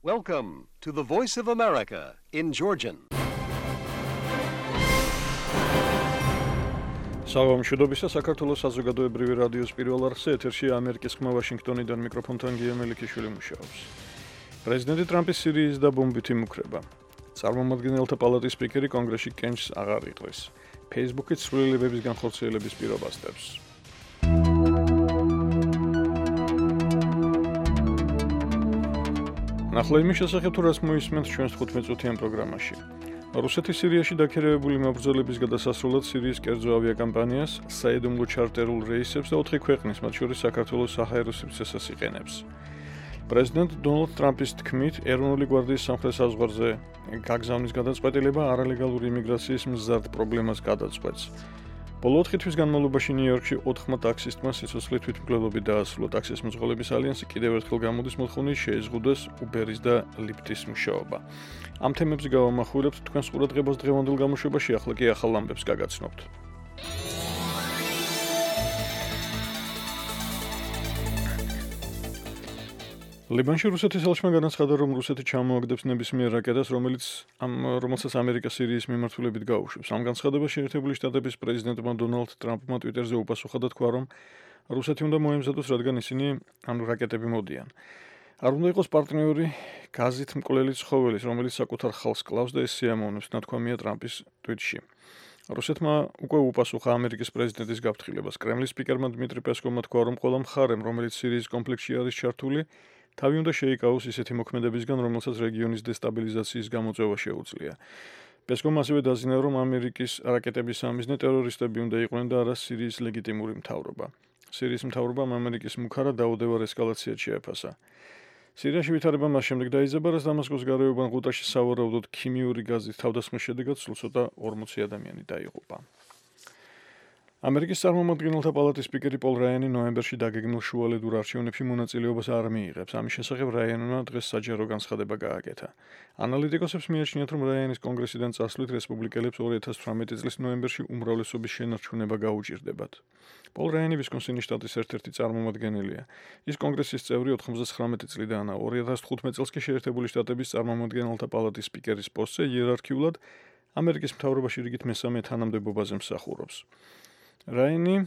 Welcome to the Voice of America in Georgian. Საღამო მშვიდობისა, საქართველოს საზოგადოებრივი რადიოს პირველ არხზე ეთერშია ამერიკის ხმა ვაშინგტონიდან მიკროფონთან გია მელიქიშვილი მუშაობს. პრეზიდენტი ტრამპის სირიის და ბომბითი მუქრება. წარმომადგენელთა პალატის სპიკერი კონგრესში კენჭს აღარ იყრის. Facebook-ით ცვლილებების განხორციელების პირობას დებს. ნახლა იმის შესახებ, თუ რას მოისმენთ ჩვენს 15-წუთიან პროგრამაში. რუსეთის სირიაში დაქირავებული მებრძოლების გადასასრულად სირიის კერძო ავიაკამპანიას, საიდუმლო ჩარტერულ რეისებს და 4 ქვეყნის, მათ შორის საქართველოს საჰაერო სივრცესაც იყენებს. პრეზიდენტ დონალდ ტრამპის თქმით, ეროვნული გვარდიის სამხრეთ საზღვარზე გაგზავნის გადაწყვეტილება არალეგალური იმიგრაციის მზარდ პრობლემას გადაწყვეტს. ბოლო 4 თვის განმავლობაში ნიუ-იორკში 4 ტაქსისტმა სიცოცხლე თვითმკვლელობით დაასრულა. ტაქსის მძღოლების ალიანსი კიდევ ერთხელ გამოდის მოთხოვნით შეეზღუდეს Uber-ის და Lyft-ის მუშაობა. ამ თემებზე გავამახვილებთ თქვენს ყურადღებას დღევანდელ გამოშვებაში, ახლა კი ახალ ამბებს გაგაცნობთ. ლიბანში რუსეთის ელჩმა განაცხადა, რომ რუსეთი ჩამოაგდებს ნებისმიერ რაკეტას, რომელსაც ამერიკა სირიის მიმართულებით გაუშვებს. ამ განცხადებას შეერთებული შტატების პრეზიდენტმა დონალდ ტრამპმა ტვიტერზე უპასუხა და თქვა, რომ რუსეთი უნდა მოემზადოს, რადგან ისინი რაკეტები მოდიან. არ უნდა იყოს პარტნიორი გაზით მკვლელი ცხოველის, რომელიც საკუთარ ხალხს კლავს და ეს სიამოვნებს, ნათქვამია ტრამპის ტვიტში. რუსეთმა უკვე უპასუხა ამერიკის პრეზიდენტის გაფრთხილებას. კრემლის სპიკერმა დმიტრი პესკოვმა თქვა, რომ ყველა მხარემ, რომელიც სირიის კონფლიქტში არის ჩართული, თავი უნდა შეიკავოს ისეთი მოქმედებისგან, რომელსაც რეგიონის დესტაბილიზაციის გამოწვევა შეუძლია. პესკოვმა ასევე დაზიანა, რომ ამერიკის რაკეტების სამიზნე ტერორისტები უნდა იყვნენ და არა სირიის ლეგიტიმური მთავრობა. სირიის მთავრობამ ამერიკის მუქარა დაუდევარ ესკალაციად შეაფასა. სირიაში ვითარება მას შემდეგ დაიძაბა, რაც დამასკოს გარეუბან ღუტაში სავარაუდოდ ქიმიური გაზით თავდასხმის შედეგად სულ ცოტა 40 ადამიანი დაიღუპა. ამერიკის წარმომადგენელთა პალატის სპიკერი პოლ რაიანი ნოემბერში დაგეგმილ შუალედურ არჩევნებში მონაწილეობას არ მიიღებს. ამის შესახებ რაიანმა დღეს საჯარო განცხადება გააკეთა. ანალიტიკოსებს მიაჩნიათ, რომ რაიანის კონგრესიდან წასვლით რესპუბლიკელებს 2018 წლის ნოემბერში უმრავლესობის შენარჩუნება გაუჭირდებათ. პოლ რაიანი ვისკონსინის შტატის ერთ-ერთი წარმომადგენელია. ის კონგრესის წევრი 99 წლიდანაა. 2015 წელს კი შეერთებული შტატების წარმომადგენელთა პალატის სპიკერის პოსტზე იერარქიულად ამერიკის მთავრობაში რიგით მესამე თანამდებობაზე მსახურობს. რაიანი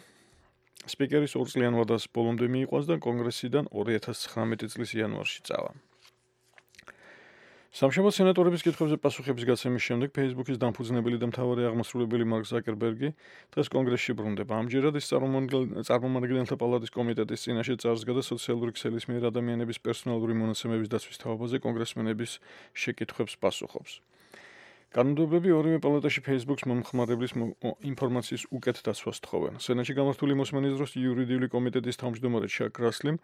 სპიკერის 2 წლიან ვადას ბოლომდე მიიყვანს და კონგრესიდან 2019 წლის იანვარში წავა. სამშაბათ სენატორების კითხვებზე პასუხების გაცემის შემდეგ Facebook-ის დამფუძნებელი და მთავარი აღმასრულებელი მარკ ზაკერბერგი დღეს კონგრესში ბრუნდება. ამჯერად ის წარმომადგენელთა პალატის კომიტეტის წინაშე წარსდგა და სოციალური ქსელის მიერ ადამიანების პერსონალური მონაცემების დაცვის თაობაზე კონგრესმენების შეკითხვებს პასუხობს. კანონმდებლები ორივე პალატაში Facebook-ს მომხმარებლის ინფორმაციის უკეთ დაცვას თხოვენ. სენატში გამართული მოსმენის დროს იურიდიული კომიტეტის თავმჯდომარე ჩაკ რასლიმ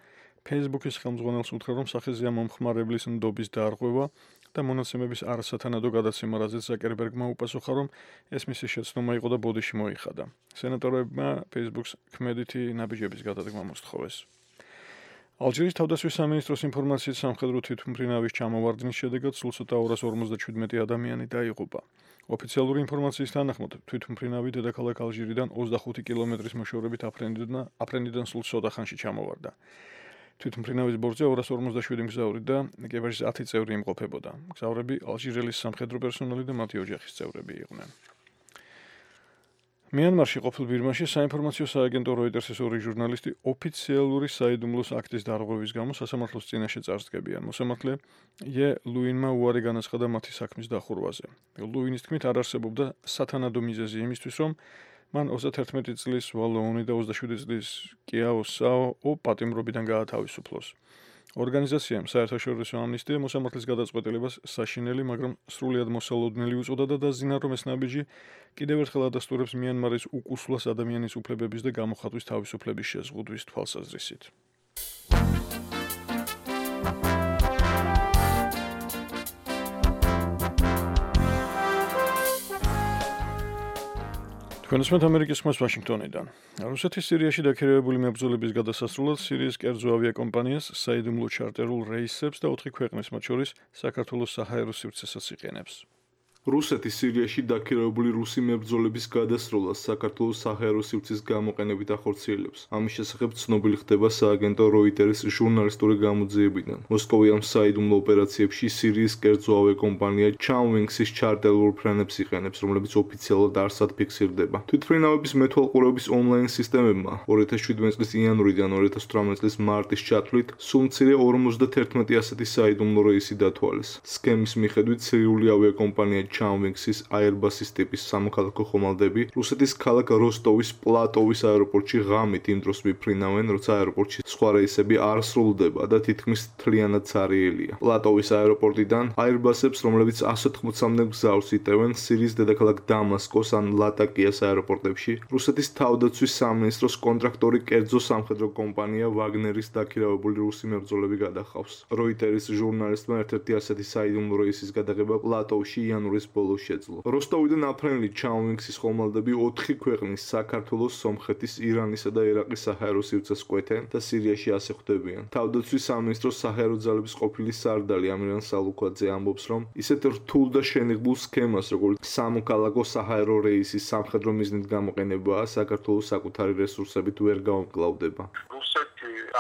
Facebook-ის ხელმძღვანელს უთხრა, რომ სახეზეა მომხმარებლის ნდობის დარღვევა და მონაცემების არასათანადო გადაცემა, რაზეც ზაკერბერგმა უპასუხა, რომ ეს მისი შეცდომა იყო და ბოდიში მოიხადა. სენატორებმა Facebook-ს ქმედითი ნაბიჯების გადადგმა მოსთხოვეს. ალჟირის თავდაცვის სამინისტროს ინფორმაციით სამხედრო თვითმფრინავის ჩამოვარდნის შედეგად სულ ცოტა 257 ადამიანი დაიღუპა. ოფიციალური ინფორმაციის თანახმად თვითმფრინავი დედაქალაქ ალჟირიდან 25 კილომეტრის მოშორებით აფრენდიდან სულ ცოტა ხანში ჩამოვარდა. თვითმფრინავის ბორცვზე 257 მგზავრი და ეკიპაჟის 10 წევრი იმყოფებოდა. მგზავრები ალჟირელის სამხედრო პერსონალი და მათი ოჯახის წევრები იყვნენ. მიანმარში ყოფილ ბირმაში საინფორმაციო სააგენტო როიტერსის 2 ჟურნალისტი ოფიციალური საიდუმლოს აქტის დარღვევის გამო სასამართლოს წინაშე წარსდგებიან. მოსამართლე ე ლუინმა უარი განაცხადა მათი საქმის დახურვაზე. ლუინის თქმით, არ არსებობდა სათანადო მიზეზი იმისთვის, რომ მან 31 წლის ვალოუნი და 27 წლის კიაოსაო პატიმრობიდან გაათავისუფლოს. ორგანიზაციამ საერთაშორისო ამნისტია მოსამართლის გადაწყვეტილებას საშინელი, მაგრამ სრულიად მოსალოდნელი უწოდა და დაზინა, რომ ეს ნაბიჯი კიდევ ერთხელ ადასტურებს მიანმარის უკუსლას ადამიანის უფლებების და გამოხატვის თავისუფლების შეზღუდვის თვალსაზრისით. თქვენსმენთ ამერიკის ხმას ვაშინგტონიდან. რუსეთის სირიაში დაქირავებული მებრძოლების გადასასრულად სირიის კერძო ავიაკომპანიას საიდუმლო ჩარტერულ რეისებს და 4 ქვეყნის, მათ შორის საქართველოს საჰაერო სივრცესაც იყენებს. რუსეთის სირიაში დაქირავებული რუსი მებრძოლების გადასროლას საქართველოს საჰაერო სივრცის გამოყენებით ახორციელებს. ამის შესახებ ცნობილი ხდება სააგენტო როიტერის ჟურნალისტური გამოძიებიდან. მოსკოვიან საიდუმლო ოპერაციებში სირიის კერძო ავიაკომპანია Changwings-ის ჩარტერულ ფრენებს იყენებს, რომლებიც ოფიციალურად არსად ფიქსირდება. თვითმფრინავების მეთვალყურეობის ონლაინ სისტემებმა 2017 წლის იანვრიდან 2018 წლის მარტის ჩათვლით სულ მცირე 51 ასეთი საიდუმლო რეისი დათვალეს. სქემის მიხედვით სირიული ავიაკომპანია Changwings-ის Airbus-ის ტიპის სამოქალაქო ხომალდები რუსეთის ქალაქ როსტოვის პლატოვის აეროპორტში ღამით იმ დროს მიფრინავენ, როცა აეროპორტში სხვა რეისები არ სრულდება და თითქმის მთლიანად ცარიელია. პლატოვის აეროპორტიდან Airbus-ებს, რომლებიც 180-მდე გზავს იტევენ სირიის დედაქალაქ დამასკოს ან ლატაკიას აეროპორტებში, რუსეთის თავდაცვის სამინისტროს კონტრაქტორი კერძო სამხედრო კომპანია Wagner-ის დაქირავებული რუსი მებრძოლები გადახავს. როიტერის ჟურნალისტმა ერთ-ერთი ასეთი საიდუმლო რეისის გადაღება პლატოვში იანვრის ბოლოს შეძლო. როსტოვიდან აფრენილი Changwings-ის ხომალდები 4 ქვეყნის საქართველოს, სომხეთის, ირანისა და ერაყის საჰაერო სივრცეს კვეთენ და სირიაში ასე ხვდებიან. თავდაცვის სამინისტროს საჰაერო ძალების ყოფილი სარდალი ამირან სალუქვაძე ამბობს, რომ ისეთ რთულ და შენიღბულ სქემას, როგორც სამოქალაქო საჰაერო რეისის სამხედრო მიზნით გამოყენებაა, საქართველოს საკუთარი რესურსებით ვერ გაუმკლავდება.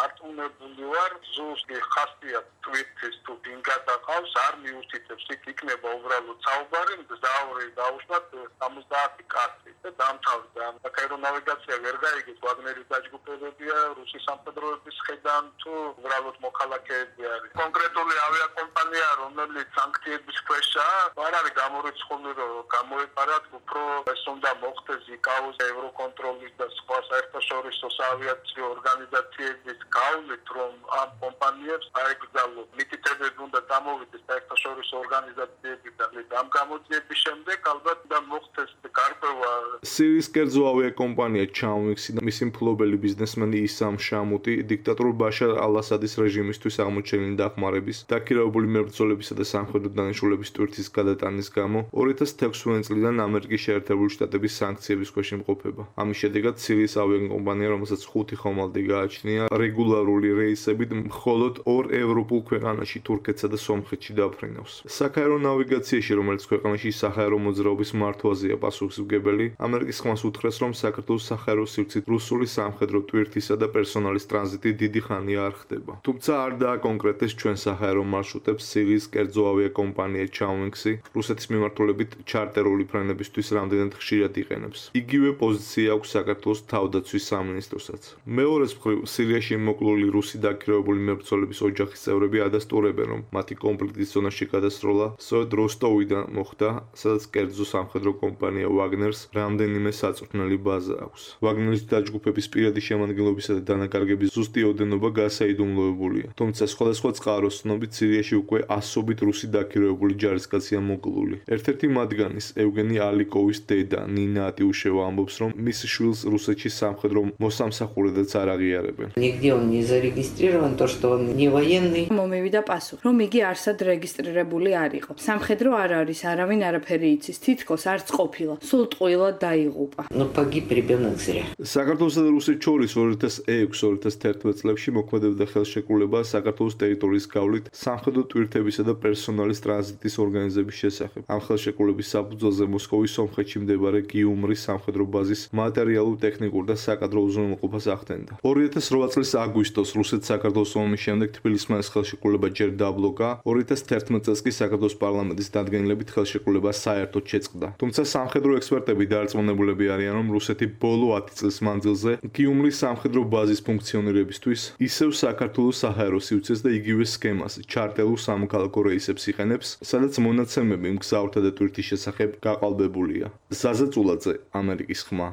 არტუნებული ვარ ზუსტი ხასიათი ტვიტის თუ დინგადახავს არ მიუთითებს იქ იქნება უბრალოდ საუბარი მგზავრი დაუშვათ 70 კაცი და დამთავრდა საჰაერო ნავიგაცია ვერ გაიგეთ ვაგნერის დაჯგუფებებია რუსის სამხედროების ხედან თუ უბრალოდ მოქალაქეები არის კონკრეტული ავიაკომპანია რომელიც სანქციების ქვეშაა არ არის გამორიცხული რომ გამოეპარათ უფრო ეს უნდა მოხდეს იკაოს ევროკონტროლის და სხვა საერთაშორისო საავიაციო ორგანიზაციების გავლით რომ ამ კომპანიებს აეკრძალოს მითითებები უნდა დამოვიდეს საერთაშორისო ორგანიზაციებიდან ამ გამოძიების შემდეგ ალბათ და მოხდეს გარკვევა სირიის კერძო ავიაკომპანია Changwings-ი და მისი მფლობელი ბიზნესმენი ისამ შამუტი დიქტატორ ბაშარ ალ-ასადის რეჟიმისთვის აღმოჩენილი დახმარების, დაქირავებული მებრძოლებისა და სამხედრო დანიშნულების ტვირთის გადატანის გამო 2016 წლიდან ამერიკის შეერთებული შტატების სანქციების ქვეშ იმყოფება. ამის შედეგად სირიის ავიაკომპანია, რომელსაც 5 ხომალდი გააჩნია, რეგულარული რეისებით მხოლოდ 2 ევროპულ ქვეყანაში, თურქეთსა და სომხეთში დაფრინავს. საჰაერო ნავიგაციაში, რომელიც ქვეყანაში საჰაერო მოძრაობის მართვაზეა პასუხისმგებელი, ამერიკის ხმას უთხრეს, რომ საქართველოს საჰაერო სივრცით რუსული სამხედრო ტვირთისა და პერსონალის ტრანზიტი დიდი ხანია არ ხდება. თუმცა არ დააკონკრეტეს ჩვენ საჰაერო მარშრუტებს სირიის კერძო ავიაკომპანია Changwings-ი რუსეთის მიმართულებით ჩარტერული ფრენებისთვის რამდენად ხშირად იყენებს. იგივე პოზიცია აქვს საქართველოს თავდაცვის სამინისტროსაც. მეორეს მხრივ სირიაში მოკლული რუსი დაქირავებული მებრძოლების ოჯახის წევრები ადასტურებენ, რომ მათი კონფლიქტის ზონაში გადასროლა სწორედ როსტოვიდან მოხდა, სადაც კერძო სამხედრო კომპანია Wagner-ს რამდენიმე საწვრთნელი ბაზა აქვს. Wagner-ის დაჯგუფების პირადი შემადგენლობისა და დანაკარგების ზუსტი ოდენობა გასაიდუმლოებულია. თუმცა სხვადასხვა წყაროს ცნობით სირიაში უკვე ასობით რუსი დაქირავებული ჯარისკაცია მოკლული. ერთ-ერთი მათგანის ევგენი ალიკოვის დედა ნინა ატიუშევა ამბობს, რომ მის შვილს რუსეთში სამხედრო მოსამსახურედაც არ აღიარებენ. Нигде он не зарегистрирован, то, что он не военный. მომივიდა პასუხი, რომ იგი არსად რეგისტრირებული არ იყო. სამხედრო არ არის, არავინ არაფერი იცის, თითქოს არც ყოფილა. სულ ტყუილად დაიღუპა. Но погиб ребенок зря. საქართველოსა და რუსეთს შორის 2006-2011 წლებში მოქმედებდა ხელშეკრულება საქართველოს ტერიტორიის გავლით სამხედრო ტვირთებისა და პერსონალის ტრანზიტის ორგანიზების შესახებ. ამ ხელშეკრულების საფუძველზე მოსკოვის სომხეთში მდებარე გიუმრის სამხედრო ბაზის მატერიალურ-ტექნიკურ და საკადრო უზრუნველყოფას ახდენდა. 2008 წლის აგვისტოს რუსეთ-საქართველოს ომის შემდეგ თბილისმა ეს ხელშეკრულება ჯერ დაბლოკა, 2011 წელს კი საქართველოს პარლამენტის დადგენილებით ხელშეკრულება საერთოდ შეწყდა. თუმცა სამხედრო ექსპერტები დარწმუნებულები არიან, რომ რუსეთი ბოლო 10 წლის მანძილზე გიუმრის სამხედრო ბაზის ფუნქციონირებისთვის ისევ საქართველოს საჰაერო სივრცეს და იგივე სქემას ჩარტერულ სამოქალაქო რეისებს იყენებს, სადაც მონაცემები მგზავრთა და ტვირთის შესახებ გაყალბებულია. ზაზა წულაძე, ამერიკის ხმა.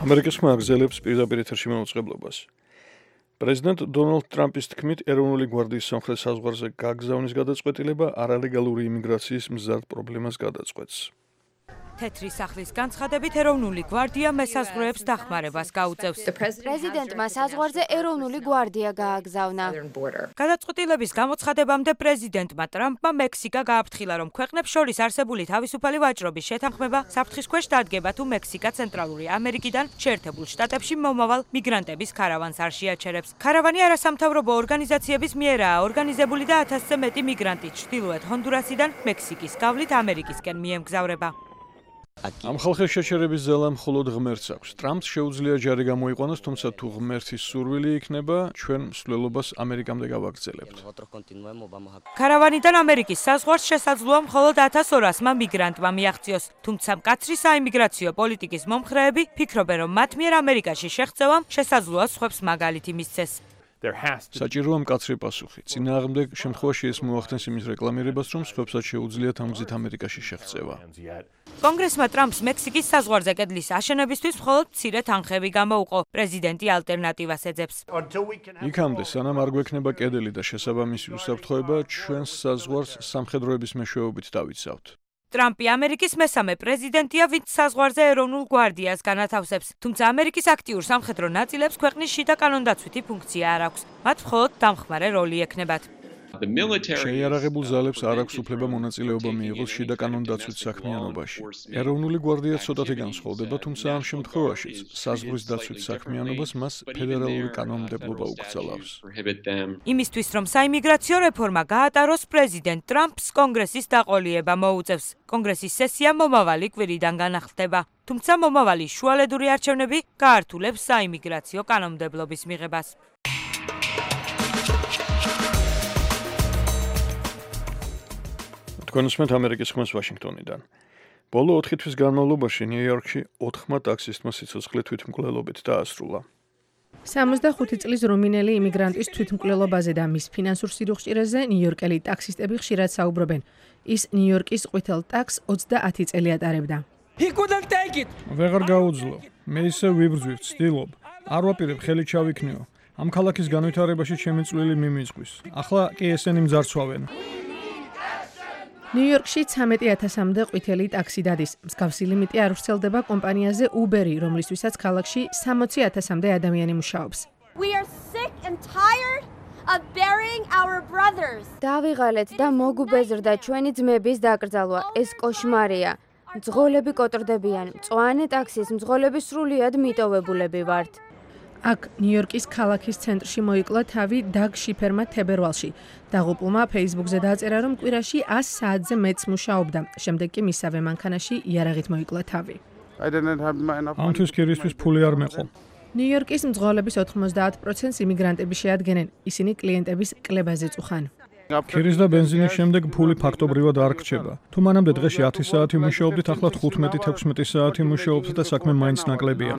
ამერიკის ხმა აგზელებს პირდაპირ ეთერში მოუწყებლობას. პრეზიდენტ დონალდ ტრამპის თქმით, ეროვნული გვარდიის სამხრეთ საზღვარზე გაგზავნის გადაწყვეტილება არალეგალური იმიგრაციის მზარდ პრობლემას გადაწყვეტს. თეთრი სახლის განცხადებით ეროვნული გვარდია მესაზღვრეებს დახმარებას გაუწევს. პრეზიდენტმა საზღვარზე ეროვნული გვარდია გააგზავნა. გადაწყვეტილების გამოცხადებამდე პრეზიდენტმა ტრამპმა მექსიკა გააფრთხილა, რომ ქვეყნებს შორის არსებული თავისუფალი ვაჭრობის შეთანხმება საფრთხის ქვეშ დადგება, თუ მექსიკა ცენტრალური ამერიკიდან შეერთებულ შტატებში მომავალ მიგრანტების ქარავანს არ შეაჩერებს. ქარავანი არასამთავრობო ორგანიზაციების მიერაა ორგანიზებული და 1000-ზე მეტი მიგრანტი ჩრდილოეთ ჰონდურასიდან მექსიკის გავლით ამერიკისკენ მიემგზავრება. ამ ხალხის შეჩერების ზელა მხოლოდ ღმერთს აქვს. ტრამპს შეუძლია ჯარი გამოიყვანოს, თუმცა თუ ღმერთის სურვილი იქნება, ჩვენ მსვლელობას ამერიკამდე გავაგრძელებთ. ქარავანიდან ამერიკის საზღვარს შესაძლოა მხოლოდ 1200-მა მიგრანტმა მიაღწიოს, თუმცა მკაცრი საიმიგრაციო პოლიტიკის მომხრეები ფიქრობენ, რომ მათ მიერ ამერიკაში შეღწევამ შესაძლოა სხვებს მაგალითი მისცეს. საჭიროა მკაცრი პასუხი. წინააღმდეგ შემთხვევაში ეს მოახდენს იმის რეკლამირებას, რომ სხვებსაც შეუძლიათ ამ გზით ამერიკაში შეღწევა. კონგრესმა ტრამპს მექსიკის საზღვარზე კედლის აშენებისთვის მხოლოდ მცირე თანხები გამოუყო. პრეზიდენტი ალტერნატივას ეძებს. იქამდე, სანამ არ გვექნება კედელი და შესაბამისი უსაფრთხოება, ჩვენს საზღვარს სამხედროების მეშვეობით დავიცავთ. ტრამპი ამერიკის მესამე პრეზიდენტია, ვინც საზღვარზე ეროვნულ გვარდიას განათავსებს. თუმცა ამერიკის აქტიურ სამხედრო ნაწილებს ქვეყნის შიდა კანონდაცვითი ფუნქცია არ აქვს. მათ მხოლოდ დამხმარე როლი ექნებათ. შეიარაღებულ ზალებს არ აქვს უფლება მონაწილეობა მიიღოს შიდა კანონდაცვით საქმიანობაში. ეროვნული გვარდია ცოტათი განსხვავდება, თუმცა ამ შემთხვევაშიც საზღვრის დაცვით საქმიანობას მას ფედერალური კანონმდებლობა უკრძალავს. იმისთვის, რომ საიმიგრაციო რეფორმა გაატაროს, პრეზიდენტ ტრამპს კონგრესის დაყოლიება მოუწევს. კონგრესის სესია მომავალი კვირიდან განახლდება. თუმცა მომავალი შუალედური არჩევნები გაართულებს საიმიგრაციო კანონმდებლობის მიღებას. თქვენ უსმენთ ამერიკის ხმას ვაშინგტონიდან. ბოლო 4 თვის განმავლობაში ნიუ-იორკში 4 ტაქსისტმა სიცოცხლე თვითმკვლელობით დაასრულა. 65 წლის რუმინელი იმიგრანტის თვითმკვლელობაზე და მის ფინანსურ სირუხჭირეზე ნიუ-იორკელი ტაქსისტები ხშირად საუბრობენ. ის ნიუ-იორკის ყვითელ ტაქსს 30 წელი ატარებდა. ვეღარ გაუძლო. მე ისე ვიბრძვი, ვცდილობ. არ ვაპირებ ხელი ჩავიქნიო. ამ ქალაქის განვითარებაში ჩემი წვლილი მიმიწყვის. ახლა კი ესენი მძარცვავენ. ნიუ-იორკში 13,000-მდე ყვითელი ტაქსი დადის. მსგავსი ლიმიტი არ ვრცელდება კომპანიაზე Uber-ი, რომლისთვისაც ქალაქში 60,000-მდე ადამიანი მუშაობს. დავიღალეთ და მოგუბეზრდა ჩვენი ძმების დაკრძალვა. ეს კოშმარია. მძღოლები კოტრდებიან. მწვანე ტაქსის მძღოლები სრულიად მიტოვებულები ვართ. აქ ნიუ-იორკის ქალაქის ცენტრში მოიკლა თავი დაგ შიფერმა თებერვალში. დაღუპულმა Facebook-ზე დააწერა, რომ კვირაში 100 საათზე მეც მუშაობდა. შემდეგ კი მისავე მანქანაში იარაღით მოიკლა თავი. ამთვის კირისთვის ფული არ მეყო. ნიუ-იორკის მძღოლების 90% იმიგრანტები შეადგენენ. ისინი კლიენტების კლებაზე წუხან. ქირის და ბენზინის შემდეგ ფული ფაქტობრივად არ რჩება. თუ მანამდე დღეში 10 საათი მუშაობდით, ახლა 15-16 საათი მუშაობთ და საქმე მაინც ნაკლებია.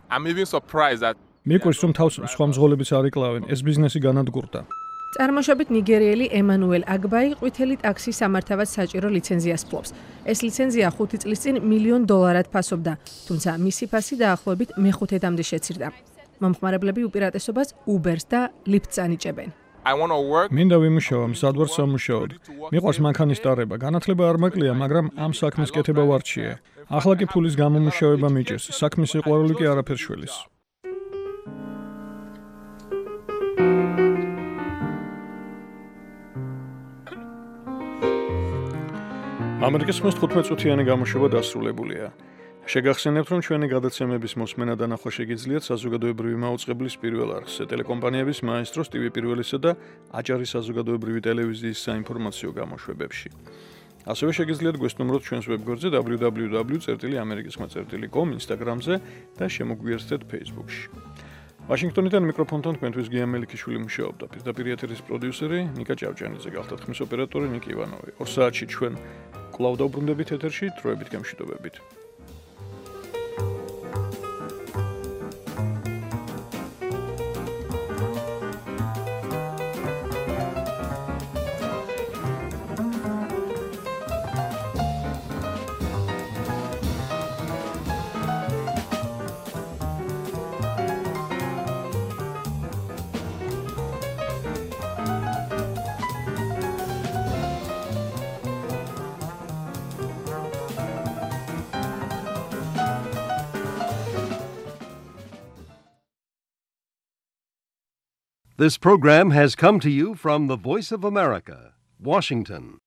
მიყვარს, რომ თავს სხვა მძღოლებიც არ იკლავენ. ეს ბიზნესი განადგურდა. წარმოშობით ნიგერიელი ემანუელ აგბაი ყვითელი ტაქსის სამართავად საჭირო ლიცენზიას ფლობს. ეს ლიცენზია 5 წლის წინ $1,000,000 ფასობდა, თუმცა მისი ფასი დაახლოებით მეხუთედამდე შეცირდა. მომხმარებლები უპირატესობას Uber-ს და Lyft-ს ანიჭებენ. მინდა ვიმუშავა, მზად ვარ სამუშაოდ. მიყვარს მანქანის ტარება, განათლება არ მაკლია, მაგრამ ამ საქმის კეთება ვარჩიე. ახლა კი ფულის გამომუშავება მიჭირს, საქმის სიყვარული კი არაფერს შველის. ამერიკის ხმის 15 წუთიანი გამოშვება დასრულებულია. შეგახსენებთ, რომ ჩვენი გადაცემების მოსმენა და ნახვა შეგიძლიათ საზოგადოებრივი მაუწყებლის პირველ არხზე, ტელეკომპანიების მაესტროს TV პირველისა და აჭარის საზოგადოებრივი ტელევიზიის საინფორმაციო გამოშვებებში. ასევე შეგიძლიათ გვესტუმროთ ჩვენს ვებგვერდზე www.amerikiskhma.com, Instagram-ზე და შემოგვიერთდეთ Facebook-ში. ვაშინგტონიდან მიკროფონთან თქვენთვის გია მელიქიშვილი მუშაობდა. პირდაპირ ეთერის პროდიუსერი ნიკა ჭავჭანიძე, გახლდათ ხმის ოპერატორი ნიკი ივანოვი. 2 საათში ჩვენ კვლავ დავბრუნდებით ეთერში, დროებით გემშვიდობებით. This program has come to you from the Voice of America, Washington.